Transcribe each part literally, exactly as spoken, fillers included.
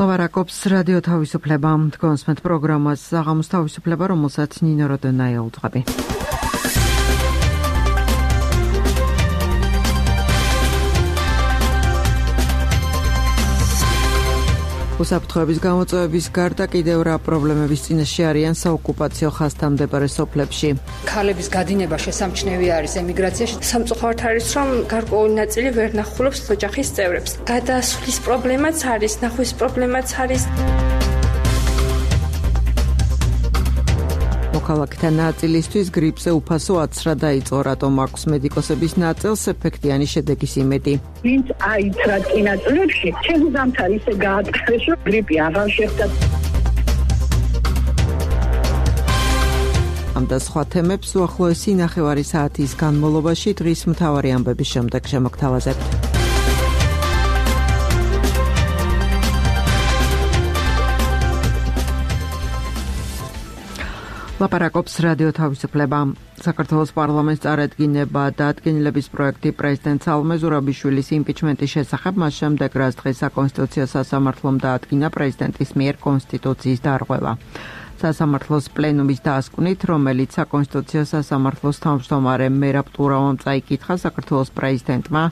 ლაპარაკობს რადიო თავისუფლება, თქვენს პროგრამას საღამოს თავისუფლება, რომელსაც ნინო როდონაია უძღვები. უსაფრთხოების გამოწვევების გარდა კიდევ რა პრობლემების წინაშე არიან საოკუპაციო ხაზთან მდებარე სოფლებში. ქალების გადინება შესამჩნევი არის ემიგრაციაში. სამწუხაროდ არის, რომ გარკვეული ნაწილი ვერ ნახულობს ოჯახის წევრებს. გადასვლის პრობლემაც არის, ნახვის პრობლემაც არის. მოქალაქეთა ნაწილისთვის გრიპზე უფასო აცრა დაიწყო, რატომ აქვს მედიკოსების ნაწილს ეფექტიანი შედეგის იმედი. ვინც აიცრა წინაწლებში, ჩემს ზამთარ ისე გაატყრეს, რომ გრიპი აღარ შეხვდა. ამ და სხვა თემებს უახლოესი ნახევარი საათის განმავლობაში დღის მთავარი ამბების შემდეგ შემოგთავაზებთ. ლაპარაკობს რადიო თავისუფლება. საქართველოს პარლამენტს წარადგინება დადგენილების პროექტი პრეზიდენტ სალომე ზურაბიშვილის იმპიჩმენტის შესახებ, მას შემდეგ რაც დღეს საკონსტიტუციო სასამართლომ დაადგინა პრეზიდენტის მიერ კონსტიტუციის დარღვევა. სასამართლოს პლენუმის დასკვნით, რომელიც საკონსტიტუციო სასამართლოს თავმჯდომარე მერაბ ტურავამ წაიკითხა საქართველოს პრეზიდენტმა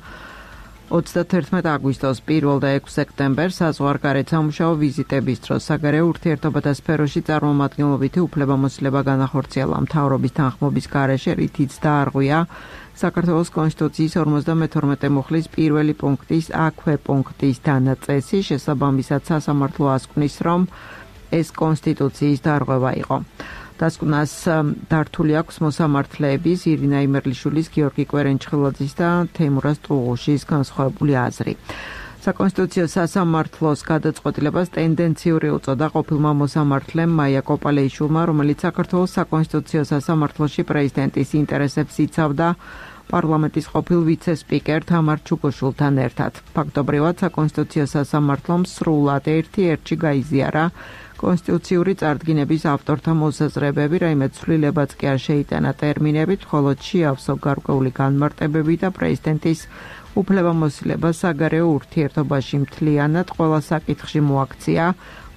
ოცდათერთმეტ აგვისტოს პირველ და ექვსი სექტემბერს საზღვარგარეთ სამუშაო ვიზიტების დროს საგარეო ურთიერთობათა სფეროში წარმომადგენლობითი უფლებამოსილება განახორციელა მთავრობის თანხმობის გარეშე, რითიც დაარღვია საქართველოს კონსტიტუციის ორმოცდამეთორმეტე მუხლის პირველი პუნქტის აქვე პუნქტის დანაწესი, შესაბამისად სასამართლო ასკვნის, რომ ეს კონსტიტუციის დარღვევა იყო. დასკვნას დართული აქვს მოსამართლეების ირინა იმერლიშვილის, გიორგი კვერენჩხილაძის და თეიმურაზ ტუღუშის განსხვავებული აზრი. საკონსტიტუციო სასამართლოს გადაწყვეტილებას ტენდენციური უწოდა ყოფილმა მოსამართლემ მაია კოპალეიშვილმა, რომელიც საქართველოს საკონსტიტუციო სასამართლოში პრეზიდენტის ინტერესებს იცავდა პარლამენტის ყოფილ ვიცე-სპიკერ თამარ ჩუგოშვილთან ერთად. ფაქტობრივად საკონსტიტუციო სასამართლომ სრულად ერთი-ერთში გაიზიარა კონსტიტუციური წარდგინების ავტორთა მოსაზრებები, რაიმე ცვლილებაც კი არ შეიტანა ტერმინებით, მხოლოდ შეავსო გარკვეული განმარტებები და პრეზიდენტის უფლებამოსილება საგარეო ურთიერთობაში მთლიანად ყველა საკითხში მოაქცია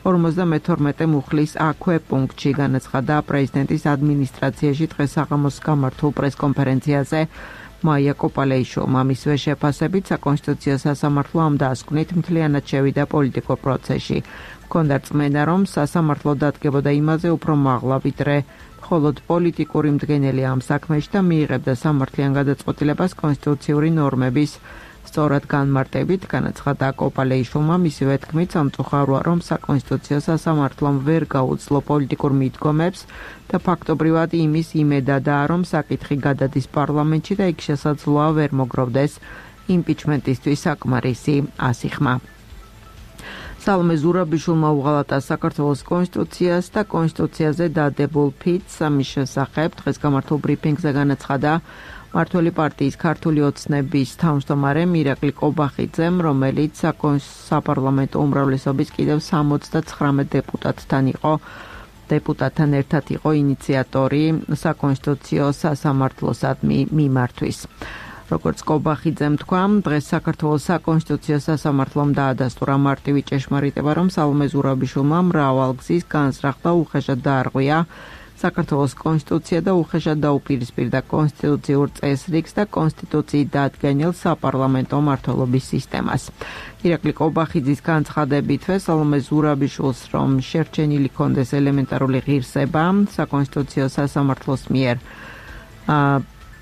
ორმოცდამეთორმეტე მუხლის აქვე პუნქტში, განაცხადა პრეზიდენტის ადმინისტრაციაში დღეს საღამოს გამართულ პრესკონფერენციაზე მაია კოპალეიშვილმა. მისვე შეფასებით საკონსტიტუციო სასამართლო ამ დასკვნით მთლიანად შევიდა პოლიტიკურ პროცესში. ჰქონდა რწმენა, რომ სასამართლო დადგებოდა იმაზე უფრო მაღლა, ვიდრე მხოლოდ პოლიტიკური მდგენელი ამ საქმეში და მიიღებდა სამართლიან გადაწყვეტილებას კონსტიტუციური ნორმების სწორად განმარტებით, განაცხადა კოპალეიშვილმა. მისივე თქმით, სამწუხაროა, რომ საკონსტიტუციო სასამართლომ ვერ გაუძლო პოლიტიკურ მიდგომებს და ფაქტობრივად იმის იმედადაა, რომ საკითხი გადადის პარლამენტში და იქ შესაძლოა ვერ მოგროვდეს იმპიჩმენტისთვის საკმარისი ასიხმა. სალომე ზურაბიშვილმა უღალატა საქართველოს კონსტიტუციას და კონსტიტუციაზე დადებულ ფიცს. ამის შესახებ დღეს გამართულ ბრიფინგზე განაცხადა მმართველი პარტიის ქართული ოცნების თავმჯდომარე მირაკლი კობახიძემ, რომელიც საპარლამენტო უმრავლესობის კიდევ სამოცდაცხრამეტ დეპუტატთან იყო დეპუტატთან ერთად იყო ინიციატორი საკონსტიტუციო სასამართლოსადმი მიმართვის. როგორც კობახიძემ თქვა, დღეს საქართველოს საკონსტიტუციო სასამართლომ დაადასტურა მარტივი ჭეშმარიტება, რომ სალომე ზურაბიშვილმა მრავალგზის განზრახ და უხეშად დაარღვია საქართველოს კონსტიტუცია და უხეშად დაუპირისპირდა კონსტიტუციურ წესრიგს და კონსტიტუციით დაადგენილ საპარლამენტო მმართველობის სისტემას. ირაკლი კობახიძის განცხადებითვე სალომე ზურაბიშვილს, რომ შერჩენილი ჰქონდეს ელემენტარული ღირსება საკონსტიტუციო სასამართლოს მიერ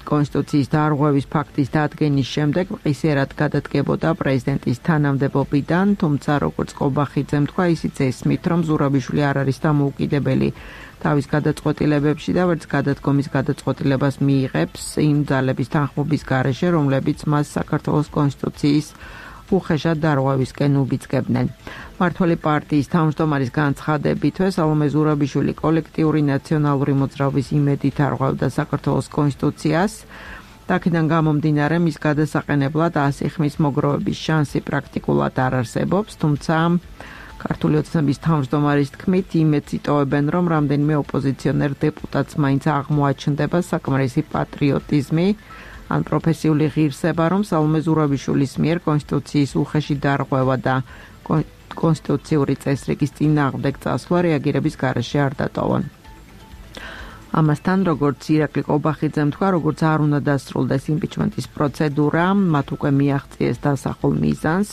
კონსტიტუციის დარღვევის ფაქტის დადგენის შემდეგ მყისიერად გადადგებოდა პრეზიდენტის თანამდებობიდან, თუმცა როგორც კობახიძემ თქვა, ისიც ესმით, რომ ზურაბიშვილი არ არის დამოუკიდებელი თავის გადაწყვეტილებებში და ვერც გადადგომის გადაწყვეტილებას მიიღებს იმ ძალების თანხმობის გარეშე, რომლებიც მას საქართველოს კონსტიტუციის უხეშად დარღვევისკენ უბიძგებდნენ. მმართველი პარტიის თავმჯდომარის განცხადებითვე სალომე ზურაბიშვილი კოლექტიური ნაციონალური მოძრაობის იმედით არღვევდა საქართველოს კონსტიტუციას. აქედან გამომდინარე, მის გადასაყენებლად ასიხმის მოგროვების შანსი პრაქტიკულად არ არსებობს, თუმცა ქართული ოცნების თავმჯდომარის თქმით, იმედს იტოვებენ, რომ რამდენიმე ოპოზიციონერ დეპუტატს მაინც აღმოაჩნდება საკმარისი პატრიოტიზმი ან პროფესიული ღირსება, რომ სალომე ზურაბიშვილის მიერ კონსტიტუციის უხეში დარღვევა და კონსტიტუციური წესრიგის წინააღმდეგ წასვლა რეაგირების გარეშე არ დატოვონ. ამასთან, როგორც ირაკლი კობახიძემ თქვა, როგორც არ უნდა დასრულდეს იმპიჩმენტის პროცედურა, მათ უკვე მიაღწიეს დასახულ მიზანს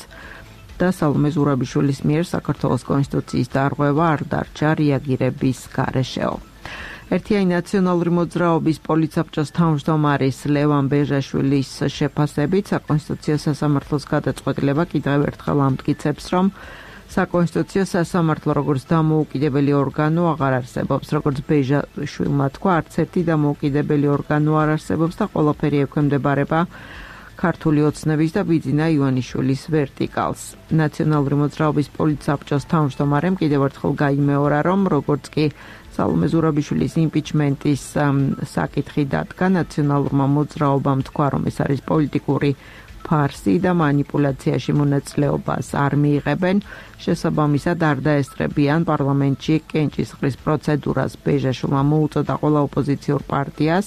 და სალომე ზურაბიშვილის მიერ საქართველოს კონსტიტუციის დარღვევა არ დარჩა რეაგირების გარეშეო. ერთიანი ნაციონალური მოძრაობის პოლიცსაბჭოს თავმჯდომარის ლევან ბეჟაშვილის შეფასებით საკონსტიტუციო სასამართლოს გადაწყვეტილება კიდევ ერთხელ ამტკიცებს, რომ საკონსტიტუციო სასამართლო როგორც დამოუკიდებელი ორგანო აღარ არსებობს, როგორც ბეჟაშვილმა თქვა, არც ერთი დამოუკიდებელი ორგანო არ არსებობს და ყველაფერი ექვემდებარება ქართული ოცნების და ბიძინა ივანიშვილის ვერტიკალს. ნაციონალური მოძრაობის პოლიცსაბჭოს თავმჯდომარემ კიდევ ერთხელ გაიმეორა, რომ როგორც კი სალომე ზურაბიშვილის იმპიჩმენტის საკითხი დადგა, ნაციონალურმა მოძრაობამ თქვა, რომ ეს არის პოლიტიკური ფარსი და манипуляციაში მონაწილეობას არ მიიღებენ, შესაბამისად არ დაესწრებიან პარლამენტში კენჭისყრის პროცედურას. ბეჟაშვილმა მოუწოდა ყველა ოპოზიციურ პარტიას,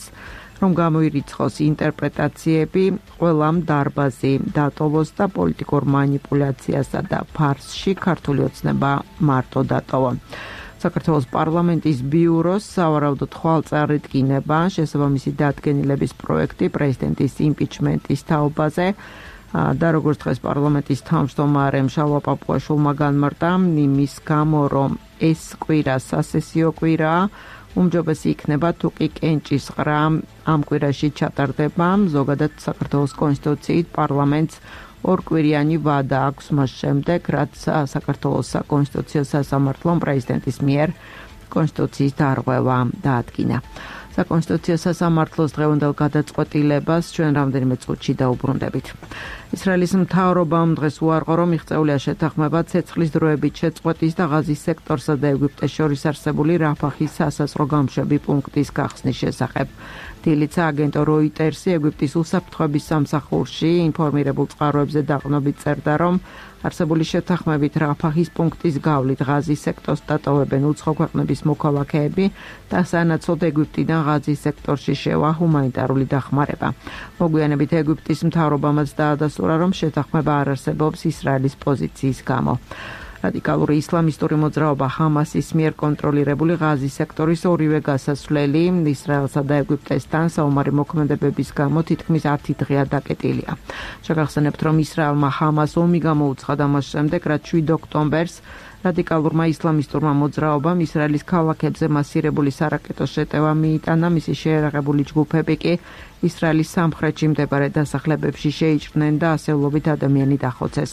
რომ გამოირიცხოს ინტერპრეტაციები, ყველამ დარბაზი დატოვოს და პოლიტიკურ манипуляციასა და ფარსში ქართული ოცნება მარტო დატოვა. საქართველოს პარლამენტის ბიუროს სავარაუდო თვალწარდგინება შესაბამისი დადგენილების პროექტი პრეზიდენტის იმპიჩმენტის თაობაზე და როგორც დღეს პარლამენტის თავმჯდომარემ შალვა პაპუაშვილმა განმარტა, იმის გამო, რომ ეს კვირა სასესიო კვირაა, უმჯობესი იქნება თუ კი კენჭისყრა ამ კვირაში ჩატარდება. ზოგადად საქართველოს კონსტიტუციით პარლამენტს ორკვირიანი ვადა აქვს მას შემდეგ, რაც საქართველოს საკონსტიტუციო სასამართლომ პრეზიდენტის მიერ კონსტიტუციის დარღვევა დაადგინა. საკონსტიტუციო სასამართლოს დღევანდელ გადაწყვეტილებას ჩვენ რამდენიმე წუთში დაუბრუნდებით. ისრაელის მთავრობამ დღეს უარყო, რომ მიღწეულია შეთანხმება ცეცხლის დროებით შეწყვეტის და ღაზის სექტორსა და ეგვიპტეს შორის არსებული რაფახის სასაზღვრო გამშვები პუნქტის გახსნის შესახებ. დილიცა აგენტო როიტერსი ეგვიპტის უსაფრთხოების სამსახურში ინფორმირებულ წყაროებზე დაყრდნობით წერდა, რომ არსებული შეთანხმებით რაფახის პუნქტის გავლით ღაზის სექტორს დატოვებენ უცხო ქვეყნების მოქალაქეები და სანაცვლოდ ეგვიპტიდან ღაზის სექტორში შევა ჰუმანიტარული დახმარება. მოგვიანებით ეგვიპტის მთავრობამაც დაადასტურა, რომ შეთანხმება არ არსებობს ისრაელის პოზიციის გამო. რადიკალური ისლამისტური მოძრაობა ჰამასის მიერ კონტროლირებული ღაზის სექტორის ორივე გასასვლელი ისრაელსა და ეგვიპტესთან საომარი მოქმედებების გამო თითქმის ათი დღეა დაკეტილია. შეგახსენებთ, რომ ისრაელმა ჰამას ომი გამოუცხადა მას შემდეგ, რაც შვიდ ოქტომბერს რადიკალურმა ისლამისტურმა მოძრაობამ ისრაელის ქალაქებზე მასირებული სარაკეტო შეტევა მიიტანა, მისი შეერაღებული ჯგუფები კი ისრაელის სამხრეთში მდებარე დასახლებებში შეიჭრნენ და ასეულობით ადამიანი დახოცეს.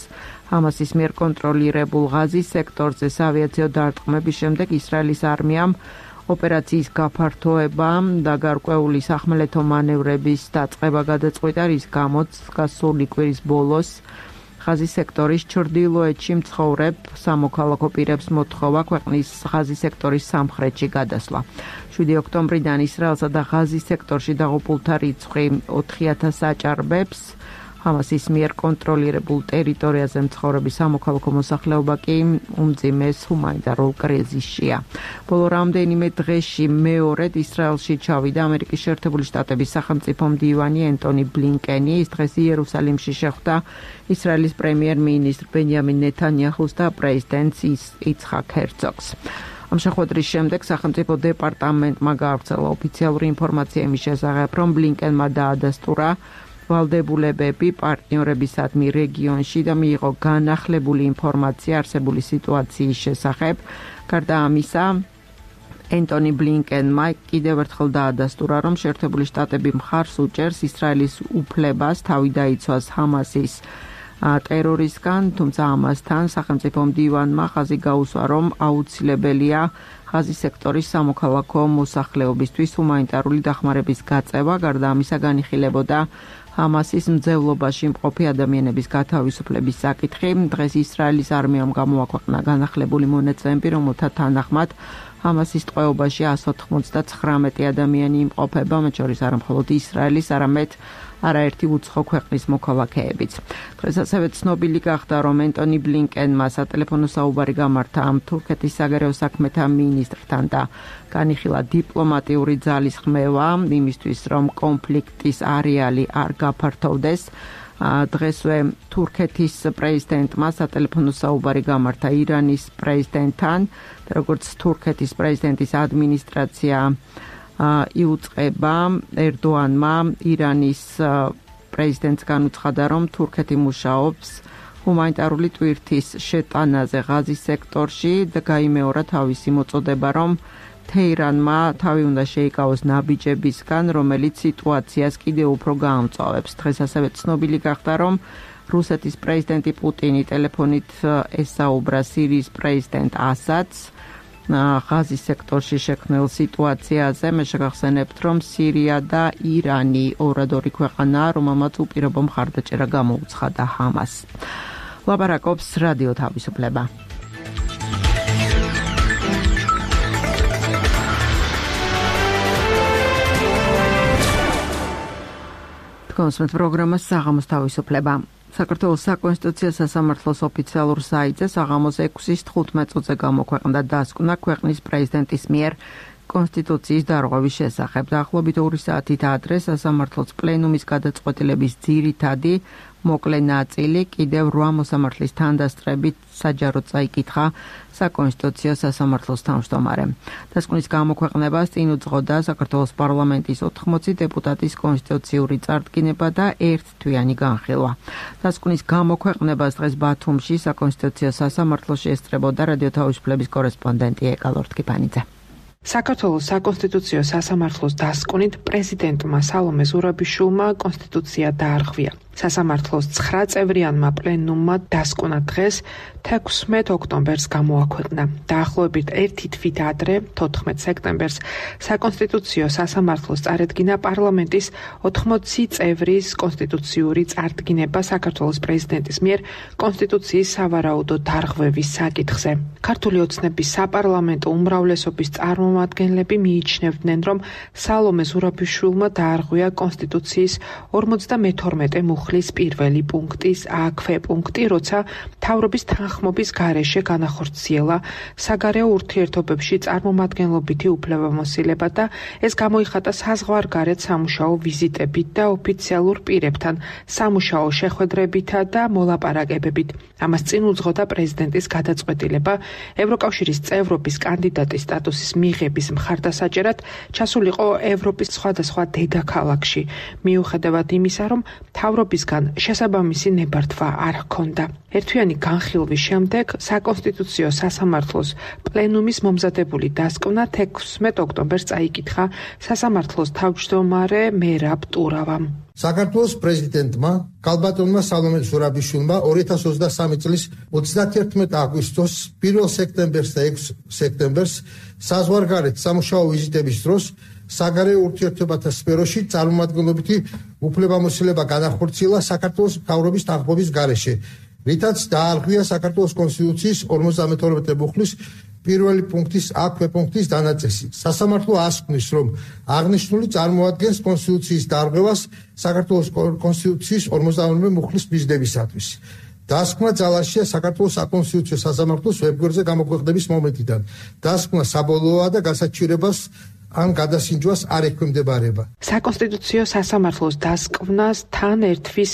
ჰამასის მიერ კონტროლირებულ ღაზის სექტორზე ავიაციო დარტყმების შემდეგ ისრაელის არმიამ ოპერაციის გაფართოება და გარკვეული სახმელეთო მანევრების დაწყება გადაწყვიტა, რის გამოც გასული კვირის ბოლოს ღაზის სექტორის ჩრდილოეთში მცხოვრებ სამოქალაქო პირებს მოთხოვა ქვეყნის ღაზის სექტორის სამხრეთში გადასვლა. შვიდი ოქტომბრიდან ისრაელსა და ღაზის სექტორში დაღუპულთა რიცხვი ოთხი ათასს აჭარბებს. ჰამასის მიერ კონტროლირებულ ტერიტორიაზე მცხოვრები სამოქალაქო მოსახლეობა კი უმძიმეს ჰუმანიტარულ კრიზისშია. ბოლო რამდენიმე დღეში მეორედ ისრაელში ჩავიდა ამერიკის შეერთებული შტატების სახელმწიფო მდივანი ენტონი ბლინკენი. ის დღეს იერუსალიმში შეხვდა ისრაელის პრემიერ-მინისტრ ბენიამინ ნეთანიაჰუს და პრეზიდენტს იცხაკ ჰერცოგს. ამ შეხვედრის შემდეგ სახელმწიფო დეპარტამენტმა გაავრცელა ოფიციალური ინფორმაცია იმის შესახებ, რომ ბლინკენმა დაადასტურა ვალდებულებები პარტნიორებისადმი რეგიონში და მიიღო განახლებული ინფორმაცია არსებული სიტუაციის შესახებ. გარდა ამისა, ენტონი ბლინკენმა კიდევ ერთხელ დაადასტურა, რომ შეერთებული შტატები მხარს უჭერს ისრაელის უფლებას თავი დაიცვას ჰამასის ტერორისგან, თუმცა ამასთან სახელმწიფო მდივანმა ხაზი გაუსვა, რომ აუცილებელია ღაზის სექტორის სამოქალაქო მოსახლეობისთვის ჰუმანიტარული დახმარების გაწევა. გარდა ამისა განიხილებოდა ჰამასის მძევლობაში მყოფი ადამიანების გათავისუფლების საკითხი. დღეს ისრაელის არმიამ გამოაქვეყნა განახლებული მონაცემები, რომელთა თანახმად ჰამასის ტყვეობაში εκατს ოთხმოცდათხრამეტი ადამიანი იმყოფება, მათ შორის არა მხოლოდ ისრაელის, არამედ არაერთი უცხო ქვეყნის მოქალაქეებიც. დღეს ასევე ცნობილი გახდა, რომ ენტონი ბლინკენმა სატელეფონო საუბარი გამართა ამ თურქეთის საგარეო საქმეთა მინისტრთან და განიხილა დიპლომატიური ძალის ხმევა იმისთვის, რომ კონფლიქტის არეალი არ გაფართოვდეს. დღესვე თურქეთის პრეზიდენტმა სატელეფონო საუბარი გამართა ირანის პრეზიდენტთან, როგორც თურქეთის პრეზიდენტის ადმინისტრაცია იუწყება ერდოანმა ირანის პრეზიდენტს განუცხადა, რომ თურქეთი მუშაობს ჰუმანიტარული ტვირთის შეტანაზე ღაზის სექტორში და გაიმეორა თავისი მოწოდება, რომ თეირანმა თავი უნდა შეიკავოს ნაბიჯებისგან, რომელიც სიტუაციას კიდევ უფრო გაამწვავებს. დღეს ასევე ცნობილი გახდა, რომ რუსეთის პრეზიდენტი პუტინი ტელეფონით ესაუბრა სირიის პრეზიდენტ ასადს ღაზის სექტორში შექმნილ სიტუაციაზე. მე შეგახსენებთ, რომ სირია და ირანი ორად ორი ქვეყანაა, რომელმაც უპირობო მხარდაჭერა გამოუცხადა ჰამასს. ლაპარაკობს რადიო თავისუფლება. კონსმეთ პროგრამას საღამოს თავისუფლება. საქართველოს საკონსტიტუციო სასამართლოს ოფიციალურ საიტზე საღამოს ექვსის თხუთმეტ წუთზე გამოქვეყნდა დასკვნა ქვეყნის პრეზიდენტის მიერ კონსტიტუციის დარღვევის შესახებ. დაახლოებით ორი საათით ადრე სასამართლოს პლენუმის გადაწყვეტილების ძირითადი მოკლე ნაწილი კიდევ რვა მოსამართლის თანდასწრებით საჯაროდ წაიკითხა საკონსტიტუციო სასამართლოს თავმჯდომარემ. დასკვნის გამოქვეყნებას წინ უძღოდა საქართველოს პარლამენტის ოთხმოცი დეპუტატის კონსტიტუციური წარდგინება და ერთთვიანი განხილვა. დასკვნის გამოქვეყნებას დღეს ბათუმში საკონსტიტუციო სასამართლოში ესწრებოდა რადიო თავისუფლების კორესპონდენტი ეკა ლორთქიფანიძე. საქართველოს საკონსტიტუციო სასამართლოს დასკვნით პრეზიდენტმა სალომე ზურაბიშვილმა კონსტიტუცია დაარღვია. სასამართლოს ცხრა წევრიანმა პლენუმმა დასკვნა დღეს თექვსმეტ ოქტომბერს გამოაქვეყნა. დაახლოებით ერთი თვით ადრე, თოთხმეტ სექტემბერს, საკონსტიტუციო სასამართლოს წარედგინა პარლამენტის ოთხმოცი წევრის კონსტიტუციური წარდგინება საქართველოს პრეზიდენტის მიერ კონსტიტუციის სავარაუდო დარღვევის საკითხზე. ქართული ოცნების საპარლამენტო უმრავლესობის წარმომადგენლები მიიჩნევდნენ, რომ სალომე ზურაბიშვილმა დაარღვია კონსტიტუციის ორმოცდამეთორმეტე მუხლის პირველი პუნქტის ა ქვეპუნქტი, როცა მთავრობის თანხმობის გარეშე განახორციელა საგარეო ურთიერთობებში წარმომადგენლობითი უფლებამოსილება და ეს გამოიხატა საზღვარგარეთ სამუშაო ვიზიტებით და ოფიციალურ პირებთან სამუშაო შეხვედრებითა და მოლაპარაკებებით. ამას წინ უძღოდა პრეზიდენტის გადაწყვეტილება ევროკავშირის წევრობის კანდიდატის სტატუსის მიღების მხარდასაჭერად ჩასულიყო ევროპის სხვადასხვა დედაქალაქში, მიუხედავად იმისა, რომ მთავრობისგან შესაბამისი ნებართვა არ ჰქონდა. ერთთვიანი განხილვის შემდეგ საკონსტიტუციო სასამართლოს პლენუმის მომზადებული დასკვნა თექვსმეტ ოქტომბერს წაიკითხა სასამართლოს თავმჯდომარე მერაბ ტურავამ. საქართველოს პრეზიდენტმა ქალბატონმა სალომე ზურაბიშვილმა ორი ათას ოცდასამი წლის ოცდაათერთმეტ აგვისტოს პირველ სექტემბერს და ექვსი სექტემბერს საზღვარგარეთ სამუშაო ვიზიტების დროს საგარეო ურთიერთობათა სფეროში წარმომადგენლობითი უფლებამოსილება განახორციელა საქართველოს მთავრობის თანხმობის გარეშე, რითაც დაარღვია საქართველოს კონსტიტუციის ორმოცდამეთორმეტე მუხლის პირველი პუნქტის ა ქვეპუნქტის დანაწესი. სასამართლო ასკნის, რომ აღნიშნული წარმოადგენს კონსტიტუციის დარღვევას საქართველოს კონსტიტუციის ორმოცდამეთორმეტე მუხლის მიზნებისათვის. დასკვნა ძალაშია საქართველოს საკონსტიტუციო სასამართლოს ვებგვერდზე გამოქვეყნების მომენტიდან. დასკვნა საბოლოოა და გასაჩივრებას ან გადასინჯვას არ ექვემდებარება. საკონსტიტუციო სასამართლოს დასკვნას თან ერთვის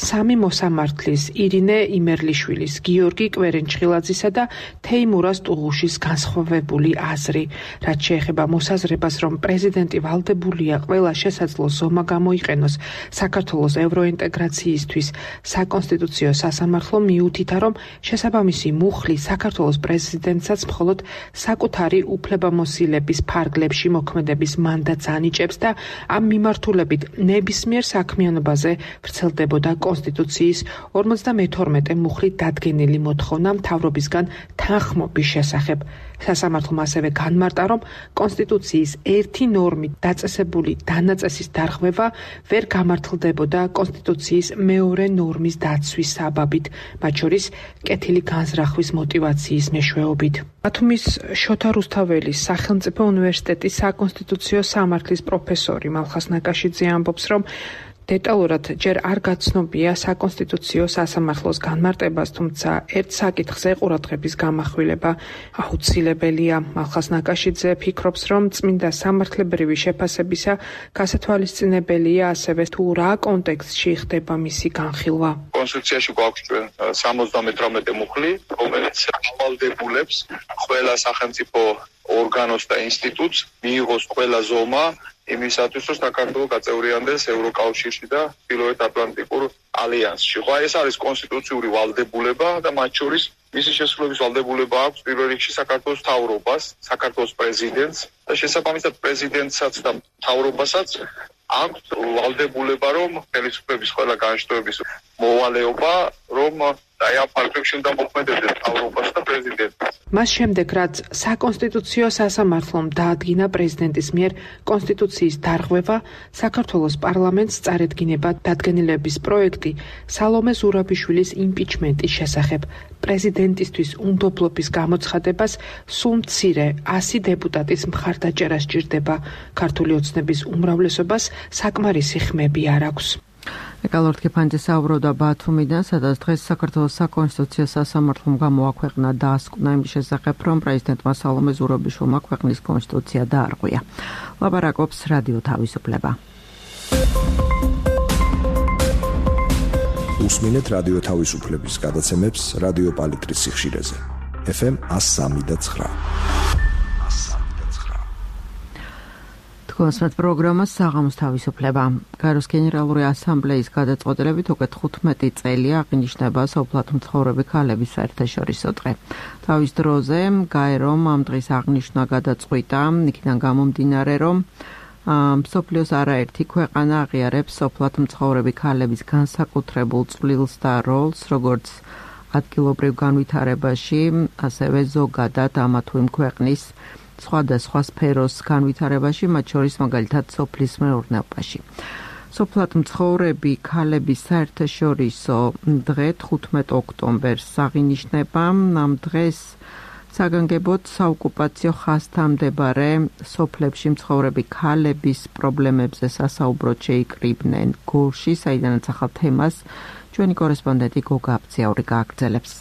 სამი მოსამართლის ირინე იმერლიშვილის, გიორგი კვერენჩხილაძისა და თეიმურაზ ტუღუშის განსხვავებული აზრი, რაც შეეხება მოსაზრებას, რომ პრეზიდენტი ვალდებულია ყველა შესაძლო ზომა გამოიყენოს საქართველოს ევროინტეგრაციისთვის. საკონსტიტუციო სასამართლო მიუთითა, რომ შესაბამისი მუხლი საქართველოს პრეზიდენტსაც მხოლოდ საკუთარი უფლებამოსილების ფარგლებში მოქმედების მანდატს ანიჭებს და ამ მიმართულებით ნებისმიერ საქმიანობაზე ვრცელდებოდა კონსტიტუციის ორმოცდამეთორმეტე მუხლით დადგენილი მოთხოვნა მთავრობისგან თანხმობის შესახებ. სასამართლომ ასევე განმარტა, რომ კონსტიტუციის ერთი ნორმით დაწესებული დანაწესის დარღვევა ვერ გამართლდებოდა კონსტიტუციის მეორე ნორმის დაცვის საბაბით, მათ შორის კეთილი განზრახვის მოტივაციის მეშვეობით. ბათუმის შოთა რუსთაველის სახელმწიფო უნივერსიტეტის საკონსტიტუციო სამართლის პროფესორი მალხას ნაკაშიძე ამბობს, რომ დეტალურად ჯერ არ გაცნობია საკონსტიტუციო სასამართლოს განმარტებას, თუმცა ერთ საკითხზე ყურადღების გამახვილება აუცილებელია. მალხაზ ნაკაშიძე ფიქრობს, რომ წმინდა სამართლებრივი შეფასებისა გასათვალისწინებელია ასევე თუ რა კონტექსტში ხდება მისი განხილვა. კონსტიტუციაში გვაქვს ჩვენ სამოცდამეთვრამეტე მუხლი, რომელიც ავალდებულებს ყველა სახელმწიფო ორგანოს და ინსტიტუტს მიიღოს ყველა ზომა იმისათვის, რომ საქართველო გაწევრიანდეს ევროკავშირში და ჩრდილოეთ ატლანტიკურ ალიანსში. ხო, ეს არის კონსტიტუციური ვალდებულება და მათ შორის მისი შესრულების ვალდებულება აქვს პირველ რიგში საქართველოს მთავრობას, საქართველოს პრეზიდენტს და შესაბამისად პრეზიდენტსაც და მთავრობასაც აქვს ვალდებულება, რომ ხელისუფლების ყველა განშტოების მოვალეობა, რომ აი ამ ფაქტებში უნდა მოქმედებდეს მთავრობას და პრეზიდენტს. მას შემდეგ, რაც საკონსტიტუციო სასამართლომ დაადგინა პრეზიდენტის მიერ კონსტიტუციის დარღვევა, საქართველოს პარლამენტს წარედგინება დადგენილების პროექტი სალომე ზურაბიშვილის იმპიჩმენტის შესახებ. პრეზიდენტისთვის უნდობლობის გამოცხადებას სულ მცირე ასი დეპუტატის მხარდაჭერა სჭირდება. ქართული ოცნების უმრავლესობას საკმარისი ხმები არ აქვს. ეკალორთკი ფანჯე საუბრობდა ბათუმიდან, სადაც დღეს საქართველოს საკონსტიტუციო სასამართლომ გამოაქვეყნა დასკვნა იმის შესახებ, რომ პრეზიდენტმა სალომე ზურაბიშვილმა ქვეყნის კონსტიტუცია დაარღვია. ლაპარაკობს რადიო თავისუფლება. უსმინეთ რადიო თავისუფლების გადაცემებს რადიო პალიტრის სიხშირეზე. ეფ ემ one oh three და nine. კონსმეთ პროგრამა საღამოს თავისუფლება. გაეროს გენერალური ასამბლეის გადაწყვეტილებით უკვე თხუთმეტი წელი აღინიშნება სოფლად მცხოვრები ქალების საერთაშორისო დღე. თავის დროზე გაერომ ამ დღის აღნიშვნა გადაწყვიტა, იქიდან გამომდინარე, რომ მსოფლიოს არაერთი ქვეყანა აღიარებს სოფლად მცხოვრები ქალების განსაკუთრებულ წვლილს და როლს, როგორც ადგილობრივ განვითარებაში, ასევე ზოგადად ამა თუ იმ ქვეყნის სხვადასხვა სფეროს განვითარებაში, მათ შორის მაგალითად სოფლის მეურნეობაში. სოფლად მცხოვრები ქალების საერთაშორისო დღე თხუთმეტ ოქტომბერს აღინიშნება. ამ დღეს საგანგებოდ საოკუპაციო ხაზთან მდებარე სოფლებში მცხოვრები ქალების პრობლემებზე სასაუბროდ შეიკრიბნენ გორში, საიდანაც ახალ თემას ჩვენი კორესპონდენტი გოგა აბციაური გააგრძელებს.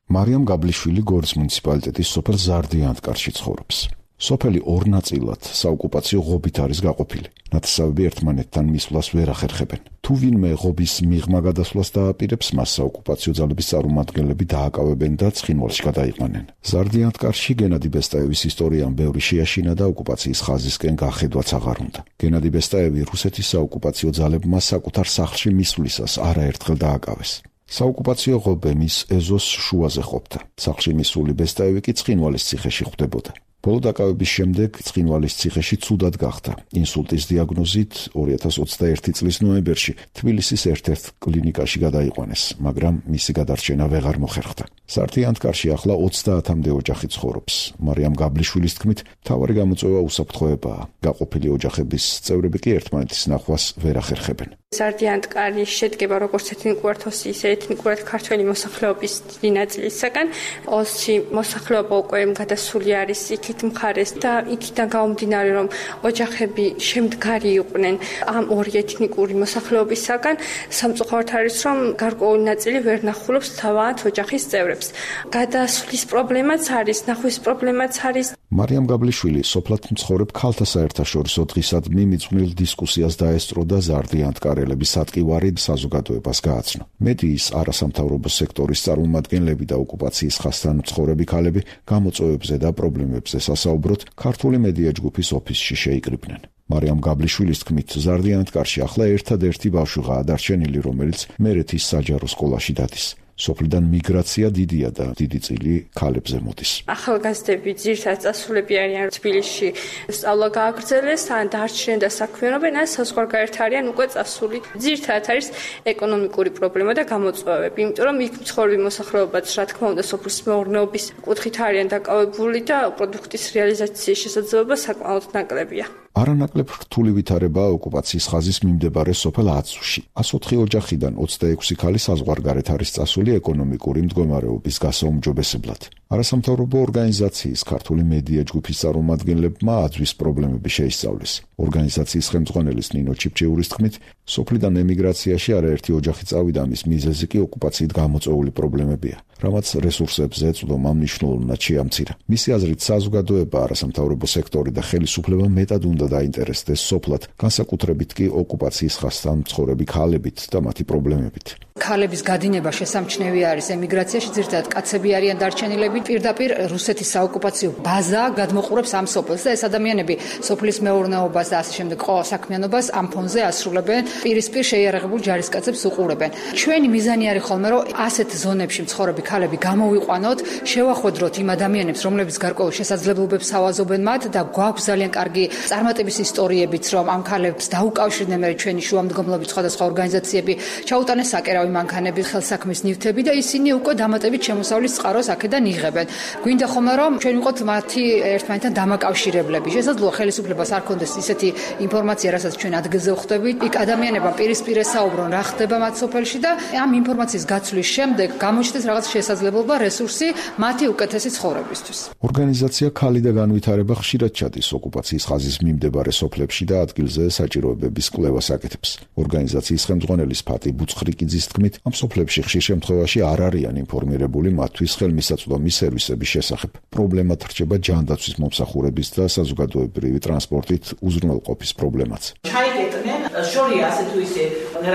მარიამ გაბლიშვილი გორის მუნიციპალიტეტის სოფელ ზარდიანთკარში ცხოვრობს. სოფელი ორ ნაწილად საოკუპაციო ღობით არის გაყოფილი. ნათესავები ერთმანეთთან მისვლას ვერ ახერხებენ. თუ ვინმე ღობის მიღმა გადასვლას დააპირებს, მას საოკუპაციო ძალების წარმომადგენლები დააკავებენ და ცხინვალში გადაიყვანენ. ზარდიანთკარში გენადი ბესტაევის ისტორიამ ბევრი შეაშინა და ოკუპაციის ხაზისკენ გახედვაც აღარ უნდა. გენადი ბესტაევი რუსეთის საოკუპაციო ძალებმა საკუთარ სახლში მისვლისას არაერთხელ დააკავეს. საოკუპაციო ღობე მის ეზოს შუაზე ყოფდა. სახლში მისული ბესტაევი კი ცხინვალის ციხეში ხვდებოდა. ბოლო დაკავების შემდეგ ცხინვალის ციხეში ცუდად გახდა. ინსულტის დიაგნოზით ორი ათას ოცდაერთი წლის ნოემბერში თბილისის ერთ-ერთ კლინიკაში გადაიყვანეს, მაგრამ მისი გადარჩენა ვეღარ მოხერხდა. ზარდიანთკარში ახლა ოცდაათამდე ოჯახი ცხოვრობს. მარიამ გაblishvilis თქმით, მთავარი გამოწვევა უსაფრთხოებაა. გაყოფილი ოჯახების წევრები კი ერთმანეთის ნახვას ვერ ახერხებენ. ზარდიანთკარი შედგება როგორც ეთნიკურად, ისე ეთნიკურად ქართველი მოსახლეობის დიდი ნაწილისაგან. ოსში მოსახლეობა უკვე გადასული არის იქით მხარეს და იქიდან გამომდინარე, რომ ოჯახები შემდგარი იყვნენ ამ ორი ეთნიკური მოსახლეობისაგან, სამწუხაროდ არის, რომ გარკვეული ნაწილი ვერ ნახულობს თავად ოჯახის წევრებს. გადასვლის პრობლემაც არის, ნახვის პრობლემაც არის. მარიამ გაblishvili სოფლად მცხოვრებ ქალთა საერთაშორისო დღისადმი მიწვნილ დისკუსიას დაესწრო და ზარდიანთკარელების ატკივარი საზოგადოებას გააცნო. მედიის არასამთავრობო სექტორის წარმომადგენლები და ოკუპაციის ხაზთან მცხოვრები ქალები გამოწვევებზე და პრობლემებზე სასაუბროდ ქართული მედია ჯგუფის ოფისში შეიკრიბნენ. მარიამ გაblishvilis თქმით, ზარდიანთკარში ახლა ერთადერთი ბავშვიღაა დარჩენილი, რომელიც მერეთის საჯარო სკოლაში დადის. სოფლიდან მიგრაცია დიდია და დიდი წილი ქალებზე მოდის. ახალგაზრდები ძირითადად წასულები არიან თბილისში სწავლა გააგრძელეს, ან დარჩნენ და საქმიანობენ, ან საზღვარგარეთ არიან უკვე წასული. ძირითადად არის ეკონომიკური პრობლემა და გამოწვევები, იმიტომ რომ იქ მცხოვრები მოსახლეობაც, რა თქმა უნდა, სოფლის მეურნეობის კუთხით არიან დაკავებული და პროდუქტის რეალიზაციის შესაძლებლობა საკმაოდ ნაკლებია. არანაკლებ რთული ვითარებაა ოკუპაციის ხაზის მიმდებარე სოფელ აცუში. ას ოთხი ოჯახიდან ოცდაექვსი ქალი საზღვარგარეთ არის წასული ეკონომიკური მდგომარეობის გასაუმჯობესებლად. არასამთავრობო ორგანიზაციის ქართული მედია ჯგუფის წარმომადგენლებმა აზვის პრობლემები შეისწავლეს. ორგანიზაციის ხელმძღვანელის ნინო ჩიფჩეურის თქმით, სოფლიდან ემიგრაციაში არაერთი ოჯახი წავიდა, მის მიზეზი კი ოკუპაციით გამოწვეული პრობლემებია, რამაც რესურსებზე წვდომა მნიშვნელოვნად შეამცირა. მისი აზრით, საზოგადოება, არასამთავრობო სექტორი და ხელისუფლება მეტად უნდა დაინტერესდეს სოფლად, განსაკუთრებით კი ოკუპაციის ხასთან მცხოვრები ქალებით და მათი პრობლემებით. ქალების გადინება შესამჩნევი არის ემიგრაციაში, ძირითადად კაცები არიან დარჩენილები. პირდაპირ რუსეთის საოკუპაციო ბაზა გადმოყურებს ამ სოფელს და ეს ადამიანები სოფლის მეურნეობას და ასე შემდეგ ყოველ საქმიანობას ამ ფონზე ასრულებენ, პირისპირ შეიარაღებულ ჯარისკაცებს უყურებენ. ჩვენი მიზანი არის ხოლმე, რომ ასეთ ზონებში მცხოვრები ქალები გამოვიყვანოთ, შევახვედროთ იმ ადამიანებს, რომლებიც გარკვეულ შესაძლებლობებს ავაზობენ მათ და გვაქვს ძალიან კარგი წარმატების ისტორიებიც, რომ ამ ქალებს დაუკავშირდნენ მე ჩვენი შუამდგომლობით სხვადასხვა ორგანიზაციები, ჩაუტანეს საკერავი მანქანები, ხელსაქმის ნივთები და ისინი უკვე დამატებით შემოსავლის წყაროს აქედან იღებენ. გვინდა ხოლმე რომ ჩვენ ვიყოთ მათი ერთმანეთთან დამაკავშირებლები. შესაძლოა ხელისუფლებას არ ქონდეს ისეთი ინფორმაცია, რასაც ჩვენ ადგილზე ვხვდებით. იქ ადამიანებმა პირისპირ ესაუბრონ, რა ხდება მათ სოფელში და ამ ინფორმაციის გაცვლის შემდეგ გამოჩნდეს რაღაც შესაძლებლობა, რესურსი მათი უკეთესი ცხოვრებისთვის. ორგანიზაცია ქალი და განვითარება ხშირად ჩადის ოკუპაციის ხაზის მიმდებარე სოფლებში და ადგილზე საჭიროებების კვლევას აკეთებს. ორგანიზაციის ხელმძღვანელის ფატი ბუცხრიკიძის თქმით, ამ სოფლებში ხშირ შემთხვევაში არ არიან ინფორმირებული მათთვის ხელმისაწვდომი სერვისების შესახებ. პრობლემად რჩება ჯანდაცვის მომსახურების და საზოგადოებრივი ტრანსპორტით უზრუნველყოფის პრობლემაც. ჩაიგეთნენ შორია ასე თუ ისე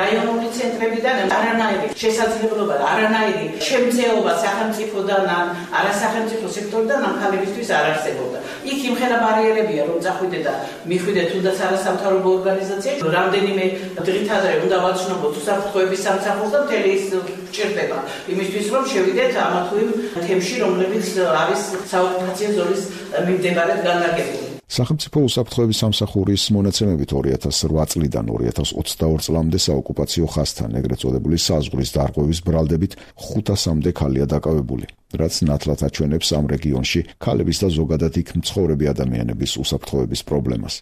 რაიონული ცენტრებიდან არანაირი შესაძლებლობა, არანაირი შემწეობა სახელმწიფოდან, არასახელმწიფო სექტორიდან ამ ქალებისთვის არ არსებობდა. იქ იმხელა ბარიერებია, რომ წახვიდე და მიხვიდე თუნდაც არასამთავრობო ორგანიზაციაში, რამდენიმე დღით ადრე უნდა ვაცნობოთ უსაფრთხოების სამსახურს და მთელი ის ჭირდება იმისთვის, რომ შევიდეთ ამა თუ იმ თემში, რომლებიც არის საოკუპაციო ზონის მიმდებარედ განლაგებული. სახელმწიფო უსაფრთხოების სამსახურის მონაცემებით ორი ათას რვა წლიდან ორი ათას ოცდაორი წლამდე საოკუპაციო ხაზთან ეგრეთ წოდებული საზღვრის დარღვევის ბრალდებით ხუთასამდე ქალია დაკავებული, რაც ნათლად აჩვენებს ამ რეგიონში ქალების და ზოგადად იქ მცხოვრები ადამიანების უსაფრთხოების პრობლემას.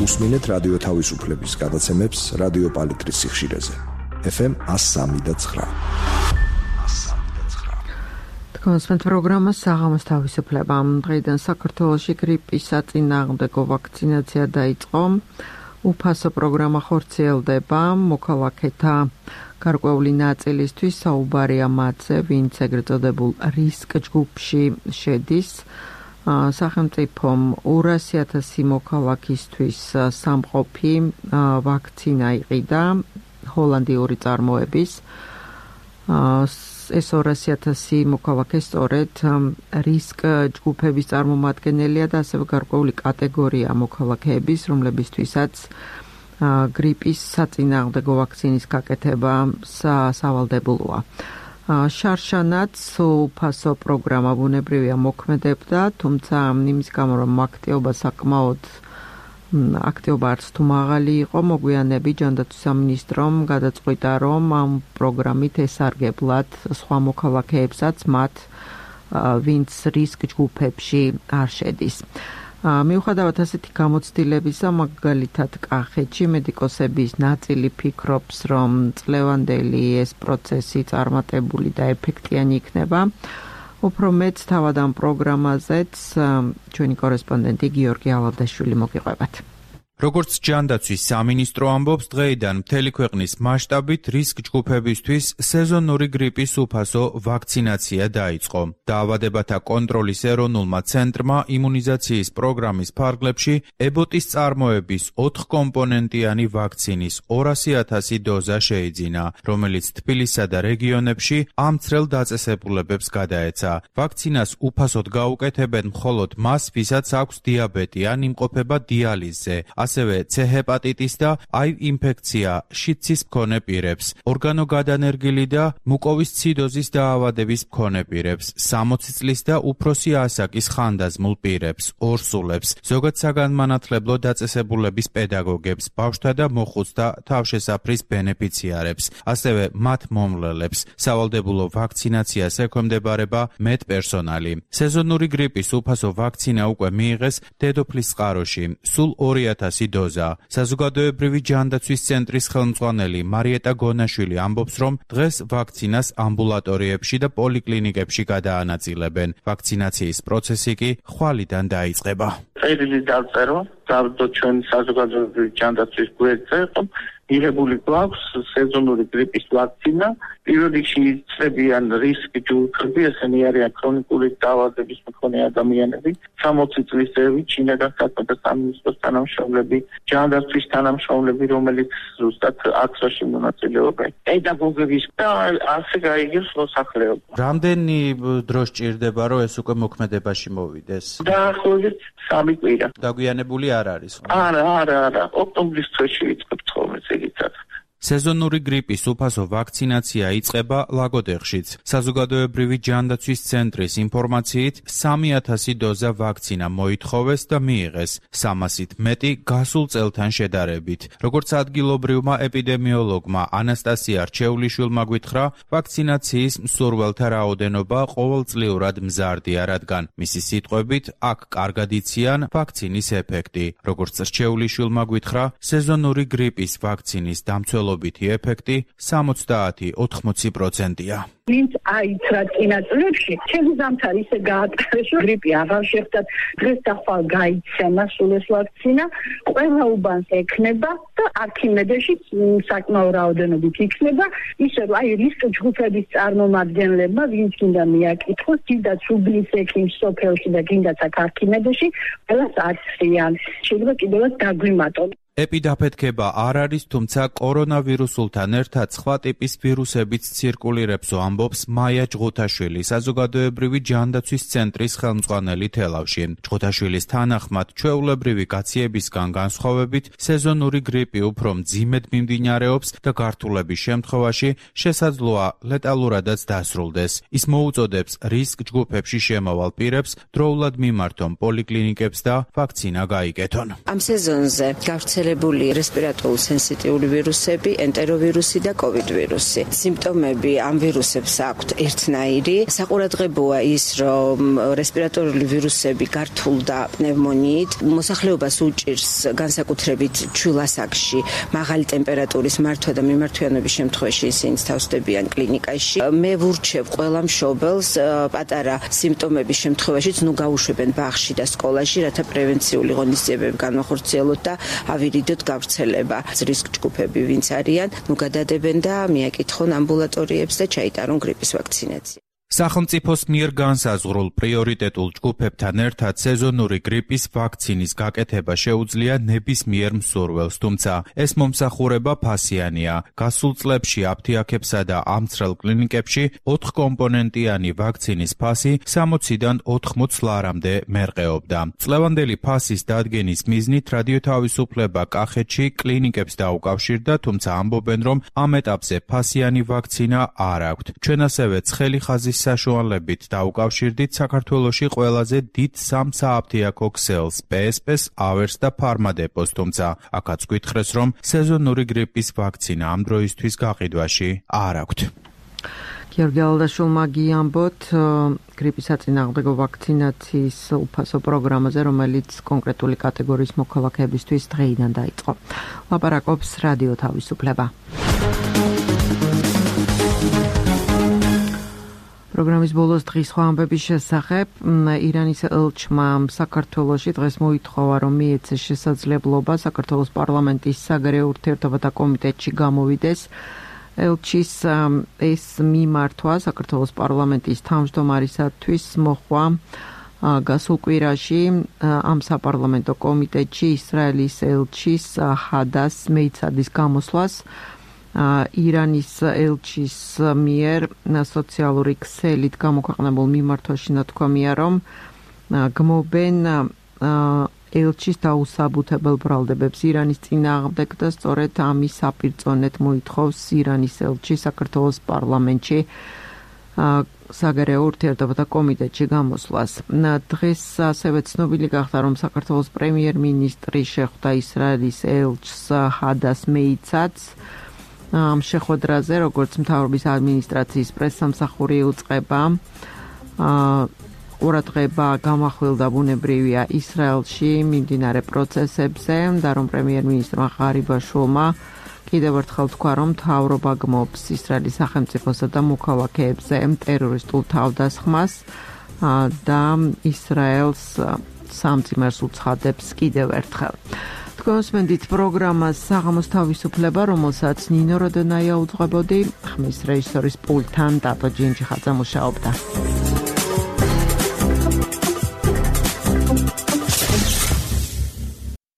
უსმინეთ რადიო თავისუფლების გადაცემებს რადიო პალიტრის სიხშირეზე. ეფ ემ ას სამი და ცხრა. კონსპენთ პროგრამა საღამოს თავისუფლება. დღეიდან საქართველოში გრიპის საწინააღმდეგო ვაქცინაცია დაიწყო. უფასო პროგრამა ხორციელდება მოქალაქეთა გარკვეული ნაწილისთვის, საუბარია მათზე, ვინც ეგრეთ წოდებულ რისკ ჯგუფში შედის. სახელმწიფომ ორასი ათასი მოქალაქისთვის სამყოფი ვაქცინა იყიდა ჰოლანდიური წარმოების. ეს ორასი ათასი მოქალაქე სწორედ რისკ ჯგუფების წარმომადგენელია და ასევე გარკვეული კატეგორია მოქალაქეების, რომლებისთვისაც გრიპის საწინააღმდეგო ვაქცინის გაკეთება სავალდებულოა. შარშანაც უფასო პროგრამა ბუნებრივია მოქმედებდა, თუმცა იმის გამო რომ აქტიობა საკმაოდ აქტიობა არც თუ მაღალი იყო, მოგვიანები ჯანდაცვის სამინისტრომ გადაწყვიტა, რომ ამ პროგრამით ესარგებლად სხვა მოქალაქეებსაც მათ, ვინც რისკ ჯგუფებში არ შედის. მიუხედავად ასეთი გამოცდილებისა, მაგალითად კახეთში მედიკოსების ნაწილი ფიქრობს, რომ წლევანდელი ეს პროცესი წარმატებული და ეფექტიანი იქნება. უფრო მეც თავად ამ პროგრამაზეც ჩვენი კორესპონდენტი გიორგი ალავდაშვილი მოგიყვებათ. როგორც ჯანდაცვის სამინისტრო ამბობს, დღეიდან მთელი ქვეყნის მასშტაბით რისკ ჯგუფებისთვის სეზონური გრიპის უფასო ვაქცინაცია დაიწყო. დაავადებათა კონტროლის ეროვნულმა ცენტრმა იმუნიზაციის პროგრამის ფარგლებში ებოტის წარმოების ოთხკომპონენტიანი ვაქცინის ორასი ათასი დოზა შეიძინა, რომელიც თბილისსა და რეგიონებში ამ წრელ დაწესებულებებს გადაეცა. ვაქცინას უფასოდ გაუკეთებენ მხოლოდ მას, ვისაც აქვს დიაბეტი ან იმყოფება დიალიზზე. ასევე C ჰეპატიტის და აივ ინფექცია შიდსის მქონე პირებს, ორგანოგადანერგილი და მუკოვის ციდოზის დაავადების მქონე პირებს, სამოცი წლის და უფროსი ასაკის ხანდაზმულ პირებს, ორსულებს, ზოგად საგანმანათლებლო დაწესებულების პედაგოგებს, ბავშვთა და მოხუცთა თავშესაფრის ბენეფიციარებს, ასევე მათ მომვლელებს. სავალდებულო ვაქცინაციას ექვემდებარება მედპერსონალი. სეზონური გრიპის უფასო ვაქცინა უკვე მიიღეს დედოფლის წყაროში. სულ ორი ათას ათასი დოზა. საზოგადოებრივი ჯანდაცვის ცენტრის ხელმძღვანელი მარიეტა გონაშვილი ამბობს, რომ დღეს ვაქცინას ამბულატორიებში და პოლიკლინიკებში გადაანაწილებენ. ვაქცინაციის პროცესი კი ხვალიდან დაიწყება. წერილი დავწერო, დავდო ჩვენ საზოგადოებრივი ჯანდაცვის გვერდზე, რომ მიღებული გვაქვს სეზონური გრიპის ვაქცინა. პირველ რიგში იწებიან რისკ ჯგუფები, ესენი არიან ქრონიკული დაავადების მქონე ადამიანები, სამოცი წლის ზევით, შინაგან საქმეთა სამინისტროს თანამშრომლები, ჯანდაცვის თანამშრომლები, რომელიც ზუსტად აქციაში მონაწილეობენ, პედაგოგების და ასე გაიგებს მოსახლეობა. რამდენი დრო სჭირდება, რომ ეს უკვე მოქმედებაში მოვიდეს? დაახლოებით სამი კვირა. დაგვიანებული არ არის. არა, არა, არა. ოქტომბრის თვეში ვიწყებთ ხოლმე ეგეცად. სეზონური გრიპის უფასო ვაქცინაცია იწყება ლაგოდეხშიც. საზოგადოებრივი ჯანდაცვის ცენტრის ინფორმაციით სამი ათასი დოზა ვაქცინა მოითხოვეს და მიიღეს, სამასით მეტი გასულ წელთან შედარებით. როგორც ადგილობრივმა ეპიდემიოლოგმა ანასტასია რჩეულიშვილმა გვითხრა, ვაქცინაციის მსურველთა რაოდენობა ყოველწლიურად მზარდია, რადგან მისი სიტყვებით აქ კარგად იციან ვაქცინის ეფექტი. როგორც რჩეულიშვილმა გვითხრა, სეზონური გრიპის ვაქცინის დამცველობითი ეფექტი სამოცდაათი ოთხმოცი პროცენტია. ვინც აიცრა წინაწლებში, ჩემი ზამთარი ისე გაატარეს, გრიპი აღარ შეხვდათ, დღეს და ხვალ გაიცემა სულ ეს ვაქცინა, ყველა უბანს ექნება და არქიმედეში საკმაო რაოდენობით იქნება, ისე რომ აი რისკ ჯგუფების წარმომადგენლებმა, ვინც გინდა მიაკითხოს, გინდა უბნის ექიმს სოფელში და გინდაც აქ არქიმედეში, ყველას აციან. შეიძლება კიდევაც დაგვიმატონ. ეპიდაფეთქება არ არის, თუმცა კორონავირუსულთან ერთად სხვა ტიპის ვირუსებიც ცირკულირებსო, ამბობს მაია ჯღუთაშვილი, საზოგადოებრივი ჯანდაცვის ცენტრის ხელმძღვანელი თელავში. ჯღუთაშვილის თანახმად, ჩვეულებრივი გაციებისგან განსხვავებით, სეზონური გრიპი უფრო მძიმედ მიმდინარეობს და გართულების შემთხვევაში შესაძლოა ლეტალურადაც დასრულდეს. ის მოუწოდებს რისკ ჯგუფებში შემავალ პირებს დროულად მიმართონ პოლიკლინიკებს და ვაქცინა გაიკეთონ. ამ სეზონზე გავრცელებული რესპირატორული სენსიტიული ვირუსები, ენტეროვირუსი და კოვიდ ვირუსი. სიმპტომები ამ ვირუსებს აქვთ ერთნაირი. საყურადღებოა ის, რომ რესპირატორული ვირუსები გართულდა პნევმონიით, მოსახლეობას უჭირს განსაკუთრებით ჩვილასაკში მაღალი ტემპერატურის მართვა და მიმართვიანობის შემთხვევაში ისინი თავსდებიან კლინიკაში. მე ვურჩევ ყველა მშობელს პატარა სიმპტომების შემთხვევაშიც ნუ გაუშვებენ ბაღში და სკოლაში, რათა პრევენციული ღონისძიებები განვახორციელოთ და ავირიდოთ გავრცელება. რისკ ჯგუფები ვინც არიან, ნუ გადადებენ და მიაკითხონ ამბულატორიებს და ჩაიტარონ გრიპის ვაქცინაცია. სახელმწიფოს მიერ განსაზღვრულ პრიორიტეტულ ჯგუფებთან ერთად სეზონური გრიპის ვაქცინის გაკეთება შეუძლია ნებისმიერ მსურველს, თუმცა ეს მომსახურება ფასიანია. გასულ წლებში აფთიაქებსა და ამცრელ კლინიკებში ოთხკომპონენტიანი ვაქცინის ფასი სამოციდან ოთხმოც ლარამდე მერყეობდა. წლევანდელი ფასის დადგენის მიზნით რადიო თავისუფლება კახეთში კლინიკებს დაუკავშირდა, თუმცა ამბობენ, რომ ამ ეტაპზე ფასიანი ვაქცინა არ აქვთ. ჩვენ ასევე ცხელი ხაზის საშუალებით დაუკავშირდით საქართველოში ყველაზე დიდ სამ სააფთიაქო ქსელს, პე ეს პეს, ავერს და ფარმადეპოს, თუმცა აქაც გითხრეს, რომ სეზონური გრიპის ვაქცინა ამ დროისთვის გაყიდვაში არ აქვთ. გიორგი ალდაშვილმა გიამბოთ გრიპის საწინააღმდეგო ვაქცინაციის უფასო პროგრამაზე, რომელიც კონკრეტული კატეგორიის მოქალაქეებისთვის დღეიდან დაიწყო. ლაპარაკობს რადიო თავისუფლება. პროგრამის ბოლოს დღის სხვა ამბების შესახებ ირანის ელჩმა საქართველოში დღეს მოითხოვა, რომ მიეცეს შესაძლებლობა საქართველოს პარლამენტის საგარეო ურთიერთობათა კომიტეტში გამოვიდეს. ელჩის ეს მიმართვა საქართველოს პარლამენტის თავმჯდომარისათვის მოხდა გასულ კვირაში ამ საპარლამენტო კომიტეტში ისრაელის ელჩის ჰადას მეიცადის გამოსვლას. ირანის ელჩის მიერ სოციალური ქსელით გამოქვეყნებულ მიმართვაში ნათქვამია, რომ გმობენ ელჩის დაუსაბუთებელ ბრალდებებს ირანის წინააღმდეგ და სწორედ ამის საპირწონედ მოითხოვს ირანის ელჩი საქართველოს პარლამენტში საგარეო ურთიერთობათა კომიტეტში გამოსვლას. დღეს ასევე ცნობილი გახდა, რომ საქართველოს პრემიერ-მინისტრი შეხვდა ისრაელის ელჩს ჰადას მეიცადს. ამ შეხვედრაზე, როგორც მთავრობის ადმინისტრაციის პრესსამსახური უწყება, ყურადღება გამახვილდა ბუნებრივია ისრაელში მიმდინარე პროცესებზე და რომ პრემიერ-მინისტრმა ღარიბაშვილმა კიდევ ერთხელ თქვა, რომ მთავრობა გმობს ისრაელის სახელმწიფოსა და მოქალაქეებზე ტერორისტულ თავდასხმას და ისრაელს სამძიმერს უცხადებს კიდევ ერთხელ. თქვენსმენდით პროგრამას საღამოს თავისუფლება, რომელსაც ნინო როდონაია უძღვებოდი, ხმის რეჟისორის პულტთან დატო ჯინჯიხაძე მუშაობდა.